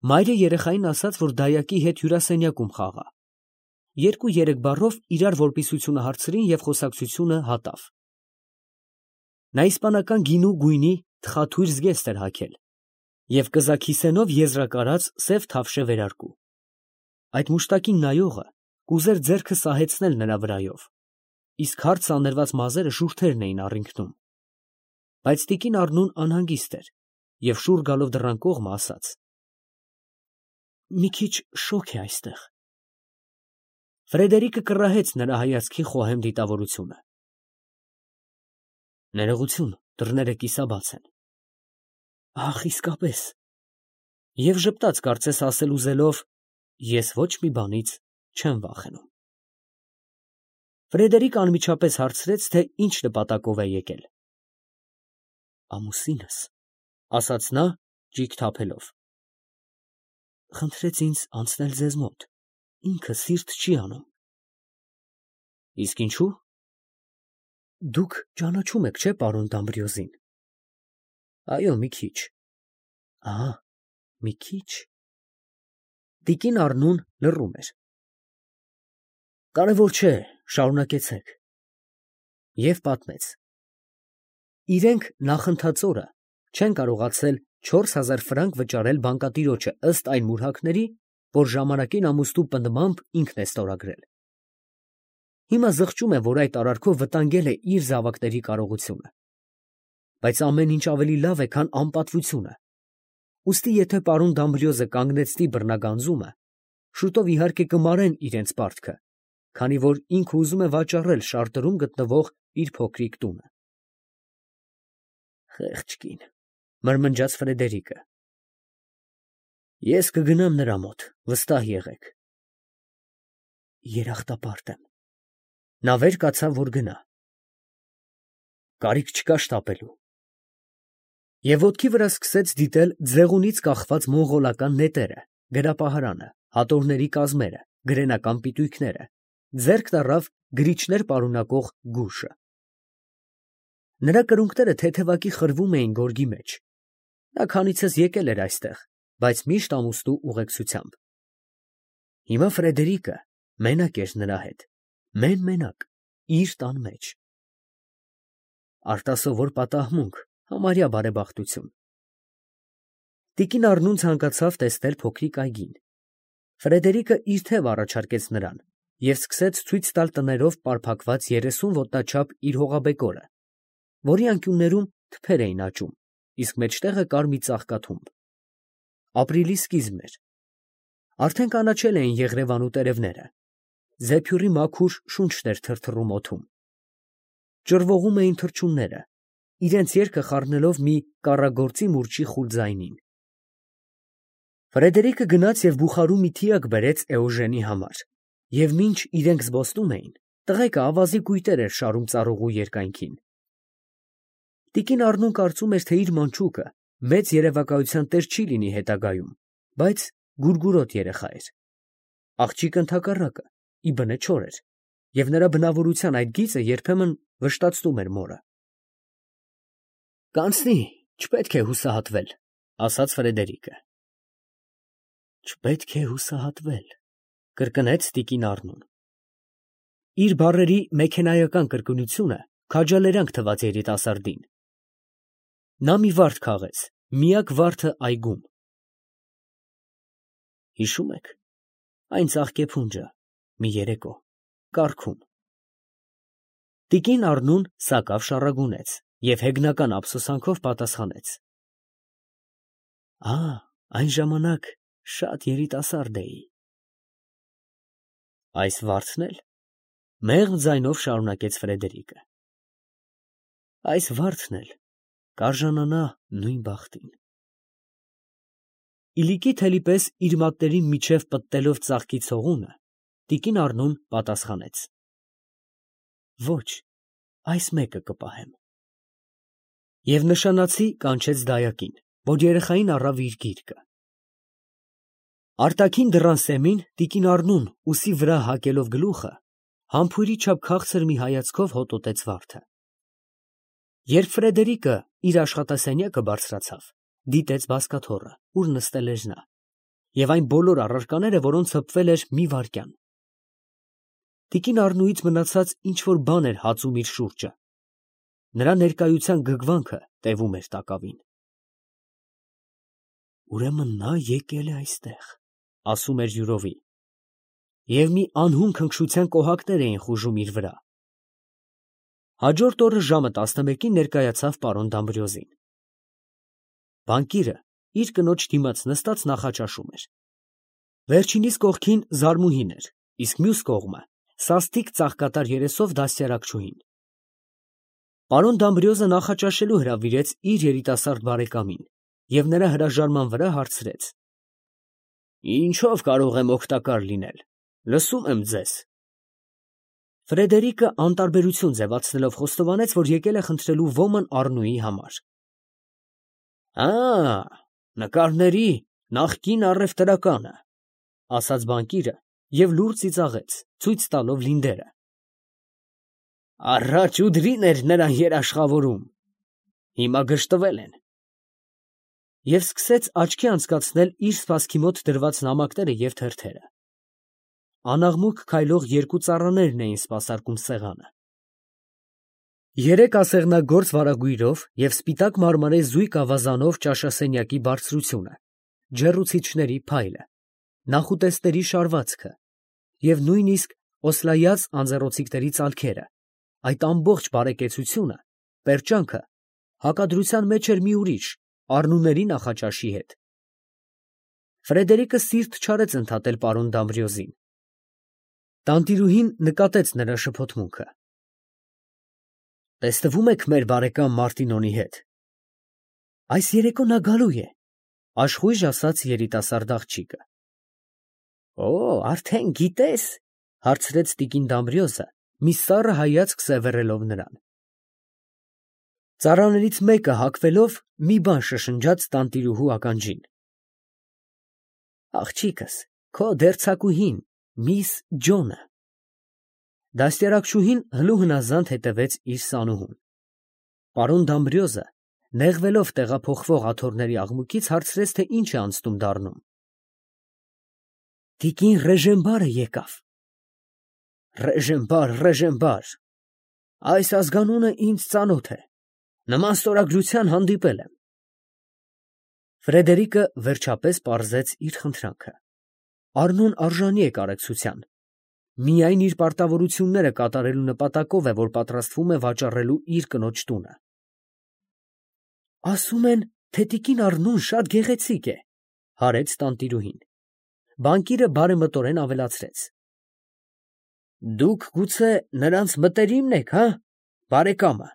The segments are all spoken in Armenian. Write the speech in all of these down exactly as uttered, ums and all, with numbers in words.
Մայրը երեխային ասաց, որ դայակի հետ հյուրասենյակում խաղա։ Երկու֊երեք բառով իրար որպիսությունը հարցրին և խոսակցությունը հատավ։ Նա իսպանական գինու գույնի թխաթույր զգեստ էր հագել և կզաքիսենով եզրակարած սև թավշե վերարկու։ Այդ մուշտակին նայողը կուզեր ձեռքը սահեցնել նրա վրայով, իսկ հարթ սանրված մազերը շուրթերն էին առինքնում։ Բայց տիկին Առնուն անհանգիստ էր և շուռ գալով դռան կողմը ասաց. «Մի քիչ շոգ է այստեղ»։ Ֆրեդերիկը կռահեց նրա հայացքի խոհեմ դիտավորությունը։ «Ներողություն, դռները կիսաբաց են»։ «Ախ, իսկապես»։ Եվ ժպտաց, կարծես ասել ուզելով. «Ես ոչ մի բանից չեմ վախենում»։ Ֆրեդերիկը անմիջապես հարցրեց, թե ինչ նպատակով է եկել։ «Ամուսինս», ֊ ասաց նա, ճիգ թափելով, «խնդրեց ինձ անցնել ձեզ մոտ, ինքը սիրտ չի անում»։ «Իսկ ինչո՞ւ»։ «Դուք ճանաչում եք, չէ՞, պարոն Դամբրիոզին»։ «Այո, մի քիչ»։ «Ահա, մի քիչ»։ Տիկին Առնուն լռում էր։ «Կարևոր չէ, շարունակեցեք»։ Եվ պատմեց. իրենք նախընթաց օրը չեն կարողացել չորս հազար ֆրանկ վճարել բանկատիրոջը ըստ այն մուրհակների, որ ժամանակին ամուսնու պնդմամբ ինքն է ստորագրել։ Հիմա զղջում է, որ այդ արարքով վտանգել է իր զավակների կարողությունը։ Բայց ամեն ինչ ավելի լավ է, քան անպատվությունը։ Ուստի եթե պարոն Դամբրիոզը կանգնեցնի բռնագանձումը, շուտով իհարկե կմարեն իրենց պարտքը, քանի որ ինքը ուզում է վաճառել Շարտրում գտնվող իր փոքրիկ տունը։ «Խեղճ կին», ֊ մրմնջաց Ֆրեդերիկը։ «Ես կգնամ նրա մոտ, վստահ եղեք»։ «Երախտապարտ եմ»։ Նա վեր կացավ, որ գնա։ «Կարիք չկա շտապելու»։ Եվ ոտքի վրա սկսեց դիտել ձեղունից կախված մոնղոլական նետերը, գրապահարանը, հատորների կազմերը, գրենական պիտույքները, ձեռքն առավ գրիչներ պարունակող գուշը։ Նրա կրունկները թեթևակի խրվում էին գորգի մեջ։ Նա քանիցս եկել էր այստեղ, բայց միշտ ամուսնու ուղեկցությամբ։ Հիմա Ֆրեդերիկը մենակ էր նրա հետ, մեն֊մենակ, իր տան մեջ։ Արտասովոր պատահմունք, համարյա բարեբախտություն։ Տիկին Առնուն ցանկացավ տեսնել փոքրիկ այգին։ Ֆրեդերիկը իր թև առաջարկեց նրան և սկսեց ցույց տալ տներով պարփակված երեսուն ոտնաչափ իր հողաբեկորը, որի անկյուններում թփեր էին աճում, իսկ մեջտեղը կար մի ծաղկաթումբ։ Ապրիլի սկիզբն էր։ Արդեն կանաչել էին եղրևանու տերևները։ Զեփյուռի մաքուր շունչն էր թրթռում օդում։ Ճռվողում էին թռչունները, իրենց երգը խառնելով մի կառագործի մուրճի խուլ ձայնին։ Ֆրեդերիկը գնաց և բուխարու մի թիակ բերեց Էոժենի համար, և մինչ իրենք զբոսնում էին, տղեկը ավազի կույտեր էր շարում ծառուղու երկայնքին։ Տիկին Առնուն կարծում էր, թե իր մանչուկը մեծ երևակայության տեր չի լինի հետագայում, բայց գուրգուրոտ երեխա էր։ Աղջիկը ընդհակառակը, ի բնե չոր էր, և նրա բնավորության այդ գիծը երբեմն վշտացնում էր մորը։ «Կանցնի, չպետք է հուսահատվել», ֊ ասաց Ֆրեդերիկը։ «Չպետք է հուսահատվել», ֊ կրկնեց տիկին Առնուն։ Իր բառերի մեքենայական կրկնությունը քաջալերանք թվաց երիտասարդին։ Նա մի վարդ քաղեց, միակ վարդը այգում։ Հիշո՞ւմ եք այն ծաղկեփունջը մի երեկո կառքում։ Տիկին Առնուն սակավ շառագունեց և հեգնական ափսոսանքով պատասխանեց. «Ա, այն ժամանակ շատ երիտասարդ էի»։ «Այս վարդն էլ», ֊ մեղմ ձայնով շարունակեց Ֆրեդերիկը, «այս վարդն էլ կարժանանա նույն բախտին»։ Իլիկի թելի պես իր մատների միջև պտտելով ծաղկի ցողունը, տիկին Առնուն պատասխանեց. «Ոչ, այս մեկը կպահեմ»։ Եվ նշանացի կանչեց դայակին, որ երեխային առավ իր գիրկը։ Արտաքին դռան սեմին տիկին Առնուն, ուսի վրա հակելով գլուխը, համբույրի չափ քաղցր մի հայացքով հոտոտեց վարդը։ Երբ Ֆրեդերիկը իր աշխատասենյակը բարձրացավ, դիտեց բազկաթոռը, ուր նստել էր նա։ և այն բոլոր առարկաները, որոնց հպվել էր մի վայրկյան։ Տիկին Առնուից մնացած ինչ-որ բան էր հածում իր շուրջը։ Նրա ներկայության գգվանքը տևում էր տակավին։ Ուրեմն նա եկել է այստեղ, ասում էր յուրովի, և մի անհուն քնքշության կոհակներ էին խուժում իր վրա։ Հաջորդ օրը ժամը տասնմեկին ներկայացավ պարոն Դամբրիոզին։ Բանկիրը իր կնոջ դիմաց նստած նախաճաշում էր։ Վերջինիս կողքին Զարմուհին էր, իսկ մյուս կողմը սաստիկ ծաղկատար երեսով դաստիարակչուհին։ Պարոն Դամբրիոզը նախաճաշելու հրավիրեց իր երիտասարդ բարեկամին և նրա հրաժարման վրա հարցրեց. «Ինչո՞վ կարող եմ օգտակար լինել, լսում եմ ձեզ»։ Ֆրեդերիկը անտարբերություն ձևացնելով խոստովանեց, որ եկել է խնդրելու ոմն Առնուի համար։ «Ա, նկարների նախկին առևտրականը», ասաց բանկիրը և լուռ ծիծաղեց, ցույց տալով լինդերը։ «Առաջ ուդրին էր նրան երաշխավորում, հիմա գժտվել են»։ Եվ սկսեց աչքի անցկացնել իր սպասքի մոտ դրված նամակները և թերթերը։ Անաղմուկ քայլող երկու ծառաներն էին սպասարկում սեղանը։ Երեք ասեղնագործ վարագույրով և սպիտակ մարմարե զույգ ավազանով ճաշասենյակի բարձրությունը, ջեռուցիչների փայլը, նախուտեստների շարվածքը և նույնիսկ օսլայած անձեռոցիկների ծալքերը, այդ ամբողջ բարեկեցությունը, պերճանքը, հակադրության մեջ էր մի ուրիշ, Առնուների նախաճաշի հետ։ Ֆրեդերիկը սիրտ չարեց ընդհատել պարոն Դամբրիոզին։ Տանտիրուհին նկատեց նրա շփոթմունքը։ Տեսնվում եք մեր բարեկամ Մարտինոնի հետ։ Այս երեկո նա գալու է, աշխույժ ասաց երիտասարդ աղջիկը։ Օ, արդեն գիտես, հարցրեց տիկին Դամբրիոզը, մի սառը հայացք սևեռելով նրան։ Ծառաներից մեկը հագվելով մի բան շշնջաց տանտիրուհու ականջին։ Աղջիկս, քո դերձակուհին, միս Ջոնը։ Դաստիարակչուհին հլու հնազանդ հետևեց իր սանուհուն։ Պարոն Դամբրիոզը, նեղվելով տեղափոխվող աթոռների աղմուկից, հարցրեց, թե ինչ է անցնում դառնում։ Տիկին Ռեժենբարը եկավ։ Ռեժենբար, Ռեժենբար, այս ազգանունը ինձ ծանոթ է, նման ստորագրության հանդիպել եմ։ Ֆրեդերիկը վերջապես պարզեց իր խնդրանքը։ Առնուն արժանի է կարեկցության, միայն իր պարտավորությունները կատարելու նպատակով է, որ պատրաստվում է վաճառելու իր կնոջ տունը։ Ասում են, թե տիկին Առնուն շատ գեղեցիկ է, հարեց տանտիրուհին։ Բանկիրը բարեմտորեն ավելացրեց. Դուք գուցե նրանց մտերիմն եք, հա, բարեկամը։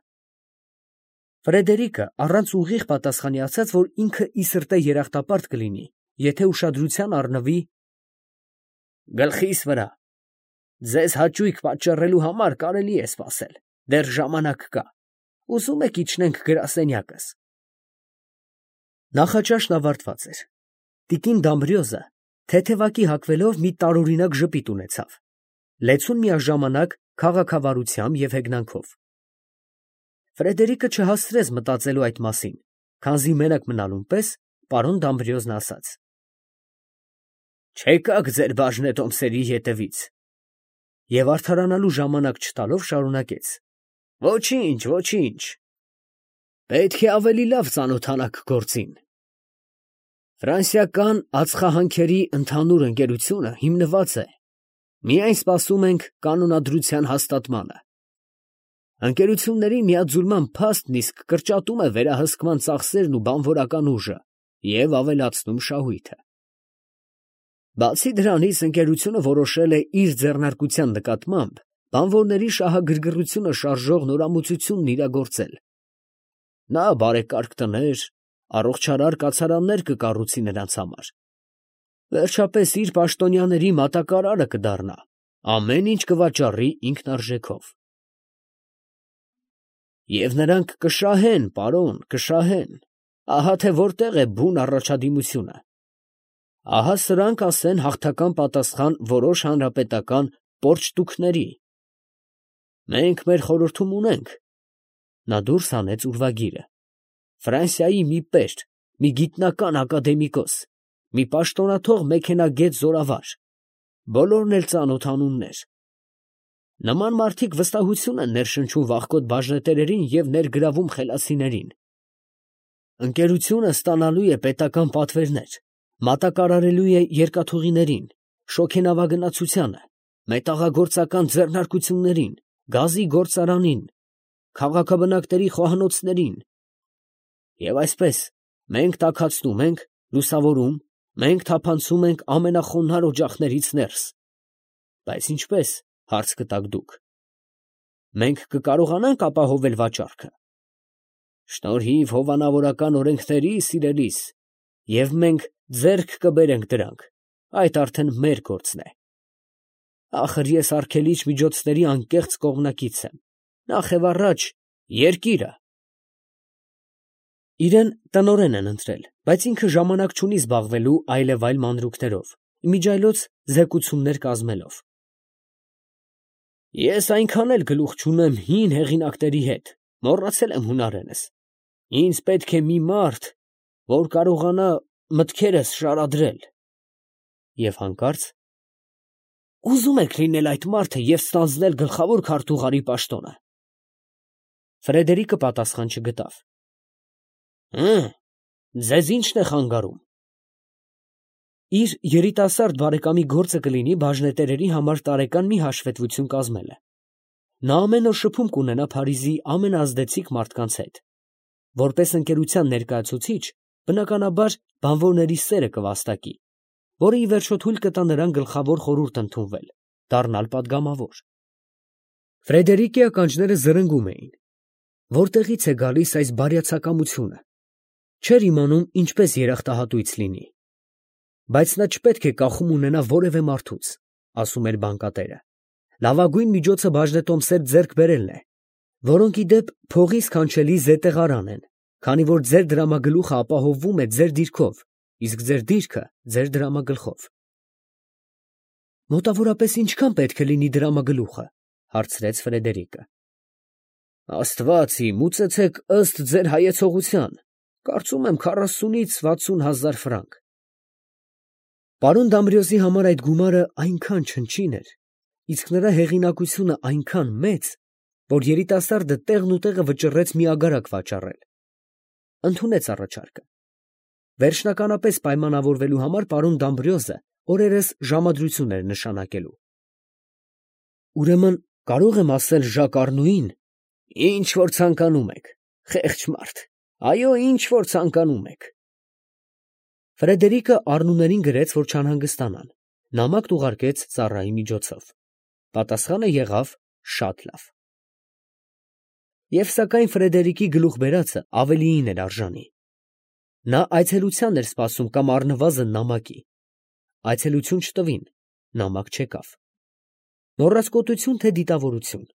Ֆրեդերիկը առանց ուղիղ պատասխանի ասաց, որ ինքը ի սրտե երախտապարտ կլինի, եթե ուշադրության առնվի գլխիս վրա։ Ձեզ հաճույք պատճառելու համար կարելի է սպասել, դեռ ժամանակ կա։ Ուզում եք իջնենք գրասենյակս։ Նախաճաշն ավարտված էր։ Տիկին Դամբրիոզը թեթևակի հագվելով մի տարօրինակ ժպիտ ունեցավ, լեցուն միաժամանակ քաղաքավարությամբ և հեգնանքով։ Ֆրեդերիկը չհասցրեց մտածելու այդ մասին, քանզի մենակ մնալուն պես պարոն Դամբրիոզն ասաց. Չեկաք ձեր բաժնետոմսերի ետևից։ Եվ արդարանալու ժամանակ չտալով շարունակեց. Ոչինչ, ոչինչ։ Պետք է ավելի լավ ծանոթանաք գործին։ Ֆրանսիական ածխահանքերի ընդհանուր ընկերությունը հիմնված է, միայն սպասում ենք կանոնադրության հաստատմանը։ Ընկերությունների միաձուլման փաստն իսկ կրճատում է վերահսկման ծախսերն ու բանվորական ուժը և ավելացնում շահույթը։ Բացի դրանից, ընկերությունը որոշել է իր ձեռնարկության նկատմամբ բանվորների շահագրգռությունը շարժող նորամուծությունն իրագործել։ Նա բարեկարգ տներ, առողջարար կացարաններ կկառուցի նրանց համար։ Վերջապես իր պաշտոնյաների մատակարարը կդառնա, ամեն ինչ կվաճառի ինքնարժեքով։ Եվ նրանք կշահեն, պարոն, կշահեն, ահա թե որտեղ է բուն առաջադիմությունը։ Ահա սրանք ասեն հաղթական պատասխան որոշ հանրապետական պորճտուքների։ Մենք մեր խորհրդում ունենք։ Նա դուրս հանեց ուրվագիրը։ Ֆրանսիայի մի պերճ, մի գիտնական ակադեմիկոս, մի պաշտոնաթող մեքենագետ զորավար, բոլորն էլ ծանոթ անուններ։ Նման մարդիկ վստահություն են ներշնչում վախկոտ բաժնետերերին և ներգրավում խելացիներին։ Ընկերությունը ստանալու է պետական պատվերներ, մատակարարելու է երկաթուղիներին, շոգենավագնացությանը, մետաղագործական ձեռնարկություններին, գազի գործարանին, քաղաքաբնակների խոհանոցներին։ Եվ այսպես, մենք տաքացնում ենք, լուսավորում, մենք թափանցում ենք ամենախոնարհ օջախներից ներս։ Բայց ինչպես, հարց կտաք դուք, մենք կկարողանանք ապահովել վաճառքը։ Շնորհիվ հովանավորական օրենքների, սիրելիս, և մենք ձեռք կբերենք դրանք, այդ արդեն մեր գործն է։ Ախր ես արգելիչ միջոցների անկեղծ կողմնակից եմ, նախևառաջ երկիրը։ Իրեն տնօրեն են ընտրել, բայց ինքը ժամանակ չունի զբաղվելու այլևայլ մանրուքներով, իմիջիայլոց զեկուցումներ կազմելով։ Ես այնքան էլ գլուխ չունեմ հին հեղինակների հետ, մոռացել եմ հունարենս։ Ինձ պետք է մի մարդ, որ կարողանա մտքերս շարադրել։ Եվ հանկարծ. ուզում եք լինել այդ մարդը և ստանձնել գլխավոր քարտուղարի պաշտոնը։ Ֆրեդերիկը պատասխան չգտավ։ Հը, ձեզ ի՞նչն է խանգարում։ Իր երիտասարդ բարեկամի գործը կլինի բաժնետերերի համար տարեկան մի հաշվետվություն կազմելը։ Նա ամեն օր շփում կունենա Փարիզի ամենաազդեցիկ մարդկանց հետ։ Որպես ընկերության ներկայացուցիչ, բնականաբար, բանվորների սերը կվաստակի, որը ի վերջո թույլ կտա նրան գլխավոր խորհուրդ ընդունվել, դառնալ պատգամավոր։ Ֆրեդերիկի ականջները զրնգում էին. որտեղից է գալիս այս բարյացակամությունը։ Չէր իմանում ինչպես երախտահատույց լինի։ Բայց նա չպետք է կախում ունենա որևէ մարդուց, ասում էր բանկատերը։ Լավագույն միջոցը բաժնետոմսեր ձեռք բերելն է, որոնք ի դեպ փողի սքանչելի զետեղարան են, քանի որ ձեր դրամագլուխը ապահովվում է ձեր դիրքով, իսկ ձեր դիրքը ձեր դրամագլխով։ Մոտավորապես ինչքան պետք է լինի դրամագլուխը, հարցրեց Ֆրեդերիկը։ Աստված իմ, ուծեցեք ըստ ձեր հայեցողության, կարծում եմ քառասունից վաթսուն հազար ֆրանկ։ Պարոն Դամբրիոզի համար այդ գումարը այնքան չնչին էր, իսկ նրա հեղինակությունը այնքան մեծ, որ երիտասարդը տեղն ու տեղը վճռեց մի ագարակ վաճառել։ Ընդունեց առաջարկը։ Վերջնականապես պայմանավորվելու համար պարոն Դամբրիոզը օրերս ժամադրություն էր նշանակելու։ Ուրեմն կարող եմ ասել Ժակ Առնուին, ինչ որ ցանկանում եք, խեղճ մարդ, այո, ինչ որ ցանկանում եք։ Ֆրեդերիկը Առնուներին գրեց, որ չանհանգստանան, նամակն ուղարկեց ծառայի միջոցով։ Պատասխանը եղավ շատ լավ։ Եվ սակայն Ֆրեդերիկի գլուխ բերածը ավելիին էր արժանի։ Նա այցելության էր սպասում կամ առնվազն նամակի։ Այցելություն չտվին, նամակ չեկավ։ Մոռացկոտություն թե դիտավորություն։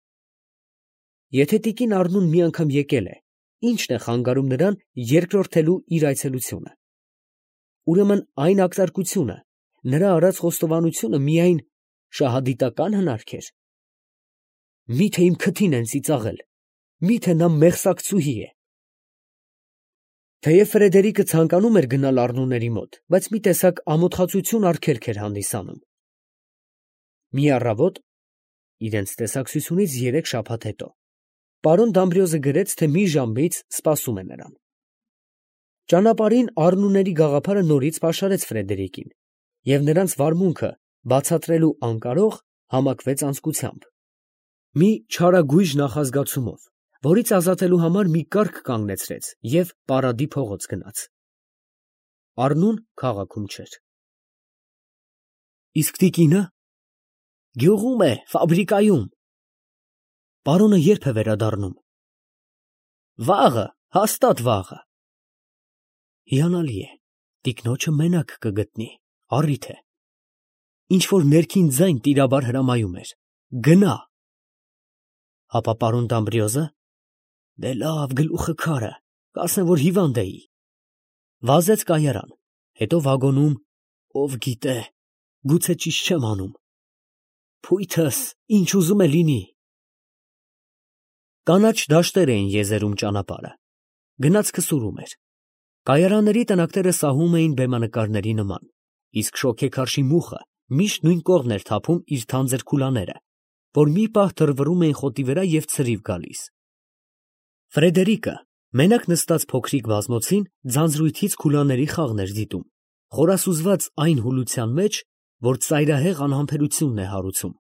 Եթե տիկին Առնուն մի անգամ եկել է, ի՞նչն է խանգարում նրան երկրորդելու իր այցելությունը։ Ուրեմն այն ակտարկությունը, նրա արած խոստովանությունը միայն շահադիտական հնարք էր։ Մի՞թե իմ քթին են ծիծաղել, մի՞թե նա մեղսակցուհի է։ Թեև Ֆրեդերիկը ցանկանում էր գնալ Առնուների մոտ, բայց մի տեսակ ամոթխածություն արգելք էր հանդիսանում։ Մի առավոտ, իրենց տեսակցությունից երեք շաբաթ հետո, պարոն Դամբրիոզը գրեց, թե մի ժամից սպասում է նրան։ Ճանապարհին Առնուների գաղափարը նորից պաշարեց Ֆրեդերիկին, և նրանց վարմունքը բացատրելու անկարող համակվեց անձկությամբ։ Մի չարագույժ նախազգացումով, որից ազատելու համար մի կառք կանգնեցրեց և Պարադի փողոց գնաց։ Առնուն քաղաքում չէր։ Իսկ տիկինը։ Գյուղում է, ֆաբրիկայում։ Պարոնը ե՞րբ է վերադառնում։ Վաղը, հաստատ վաղը։ Հիանալի է, տիկնոջը մենակ կգտնի, առիթ է։ Ինչ որ ներքին ձայն տիրաբար հրամայում էր. գնա։ Հապա պարոն Դամբրիոզը։ Դե լավ, գլուխը քարը, կասեն, որ հիվանդ էի։ Վազեց կայարան, հետո վագոնում, ով գիտե, գուցե ճիշտ չեմ անում։ Փույթս, ինչ ուզում է լինի։ Կանաչ դաշտեր էին եզերում ճանապարհը։ Գնացքը սուրում էր։ Կայարանների տնակները սահում էին բեմանկարների նման, իսկ շոգեքարշի մուխը միշտ նույն կողմն էր թափում իր թանձր քուլաները, որ մի պահ թռվռում էին խոտի վրա և ցրիվ գալիս։ Ֆրեդերիկը մենակ նստած փոքրիկ բազմոցին ձանձրույթից քուլաների խաղն էր դիտում, խորասուզված այն հուլության մեջ, որ ծայրահեղ անհամբերությունն է հարուցում։